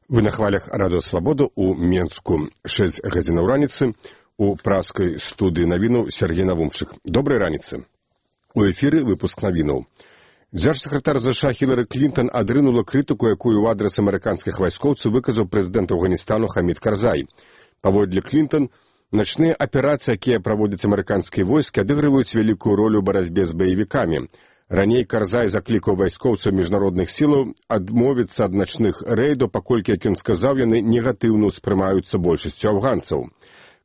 Вы на хвалях Радыё Свабода у Менску. 6 гадзінаў раніцы. У праскай студыі навінаў Сергей Навумчык. Добрай раніцы. У эфіры выпуск навінаў. Дзяржсакратар ЗША Хілары Клінтон адрынула крытыку, якую ў адрас амерыканскіх вайскоўцаў выказаў прэзідэнт Афганістану Хамід Карзай. Паводле Клінтон, начныя аперацыі, якія праводзяць амерыканскія войскі, адыгрываюць вялікую ролю ў барацьбе з баевікамі. Раней Карзай заклікаў вайскоўцаў міжнародных сілаў адмовіцца ад начных рэйдаў, паколькі, як ён сказаў, яны негатыўна ўспрымаюцца большасцю афганцаў.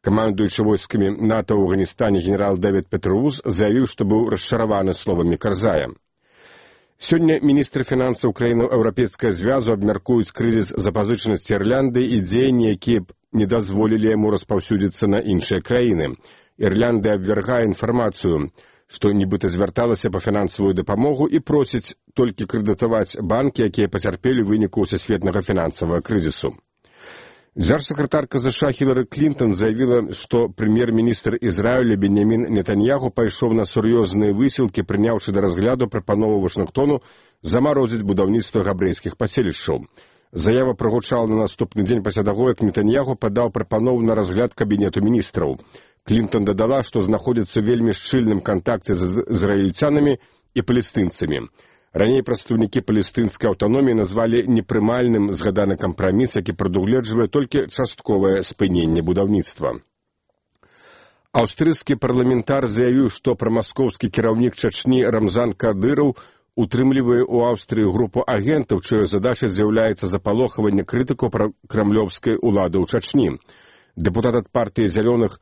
Камандуючы войскамі НАТО ў Афганістане генерал Дэвід Петрус заявіў, што быў расчараваны словамі Карзая. Сёння міністры фінансаў краін Еўрапейскага звязу абмяркуюць крызіс запазычанасці Ірландыі і дзеянні, якія б не дазволілі яму распаўсюдзіцца на іншыя краіны. Ірландыя абвяргае інфармацыю, што нібыта звярталася па фінансавую дапамогу і просіць толькі крэдытаваць банкі, якія пацярпелі ў выніку сусветнага фінансавага крызісу. Дзяржсакратарка ЗША Хілары Клінтон заявіла, што прэм'ер-міністр Ізраіля Беньямін Нетаньяху пайшоў на сур'ёзныя высілкі, прыняўшы да разгляду прапанову Вашынгтону замарозіць будаўніцтва габрэйскіх паселішчаў. Заява прагучала на наступны дзень пасля таго, як Нетаньяху падаў прапанову на разгляд кабінету міністраў. Клінтон дадала, што знаходзіцца ў вельмі шчыльным кантакце з ізраільцянамі і палестынцамі. Раней прадстаўнікі палестынскай аўтаноміі назвалі непрымальным згаданы кампраміс, які прадугледжвае толькі частковае спыненне будаўніцтва. Аўстрыйскі парламентар заявіў, што прамаскоўскі кіраўнік Чачні Рамзан Кадыраў утрымлівае ў Аўстрыі групу агентаў, чыёй задачай з'яўляецца запалохаванне крытыкаў пра крамлёўскай улады ў Чачні. Дэпутат ад партыі зялёных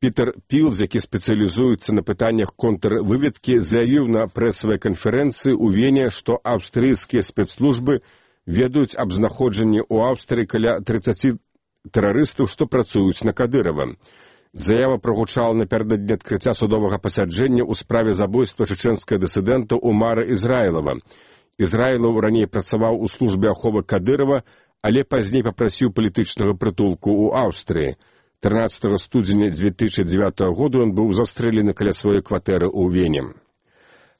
Пітер Пілз, які спецыялізуецца на пытаннях контрвыведкі, заявіў на прэсавай канферэнцыі ў Вене, што аўстрыйскія спецслужбы ведаюць аб знаходжанні ў Аўстрыі каля 30 тэрарыстаў, што працуюць на Кадырава. Заява прагучала напярэдадні адкрыцця судовага пасяджэння ў справе забойства чэчэнскага дысідэнта Умара Ізраілава. Ізраілаў раней працаваў у службе аховы Кадырава, але пазней папрасіў палітычнага прытулку ў Аўстрыі. 13 студзеня 2009 года ён быў застрэлены каля сваёй кватэры ў Вене.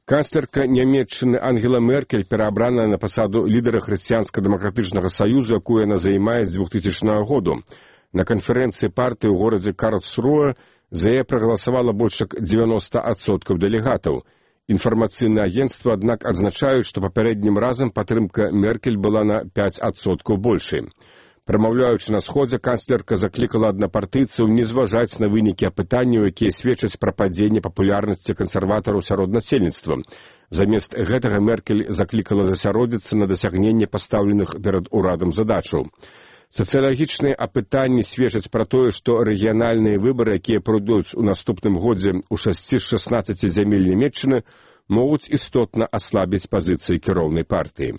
Канцлерка Нямецчыны Ангела Меркель пераабраная на пасаду лідара Хрысціянска-дэмакратычнага саюзу, якую яна займае з 2000 году. На канферэнцыі партыі ў горадзе Карлсруэ за яе прагаласавала больш як 90% дэлегатаў. Інфармацыйныя агенцтвы, аднак, адзначаюць, што папярэднім разам падтрымка Меркель была на 5% большай. Прамаўляючы на сходзе, канцлерка заклікала аднапартыйцаў не зважаць на вынікі апытанняў, якія сведчаць пра падзенне папулярнасці кансерватараў сярод насельніцтва. Замест гэтага Меркель заклікала засяродзіцца на дасягненне пастаўленых перад урадам задачаў. Сацыялагічныя апытанні сведчаць пра тое, што рэгіянальныя выбары, якія пройдуць у наступным годзе ў 6 з 16 зямель Нямецчыны, могуць істотна аслабіць пазіцыі кіроўнай партыі.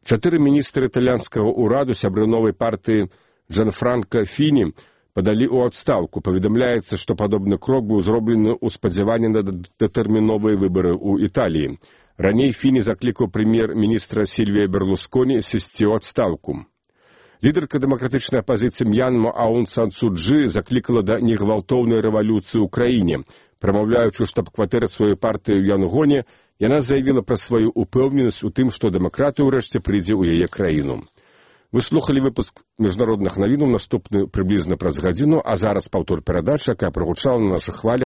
4 міністры італьянскага ўраду, сябры новай партыі Джанфранка Фіні, падалі ў адстаўку. Паведамляецца, што падобны крок быў зроблены ў спадзяванні на датэрміновыя выбары ў Італіі. Раней Фіні заклікаў прэм'ер-міністра Сільвія Берлусконі сысці ў адстаўку. Лідарка дэмакратычнай апазіцыі М'янма Аун Сан Су Чжы заклікала да негвалтоўнай рэвалюцыі ў краіне. Прамаўляючы штаб-кватэры сваёй партыі ў Янгоне, яна заявіла пра сваю упэўненасць у тым, што дэмакратыя ўрэшце прыйдзе ў яе краіну. Вы слухалі выпуск міжнародных навінаў, наступны прыблізна праз гадзіну, а зараз паўтор перадачы, якая прагучала на нашых хвалях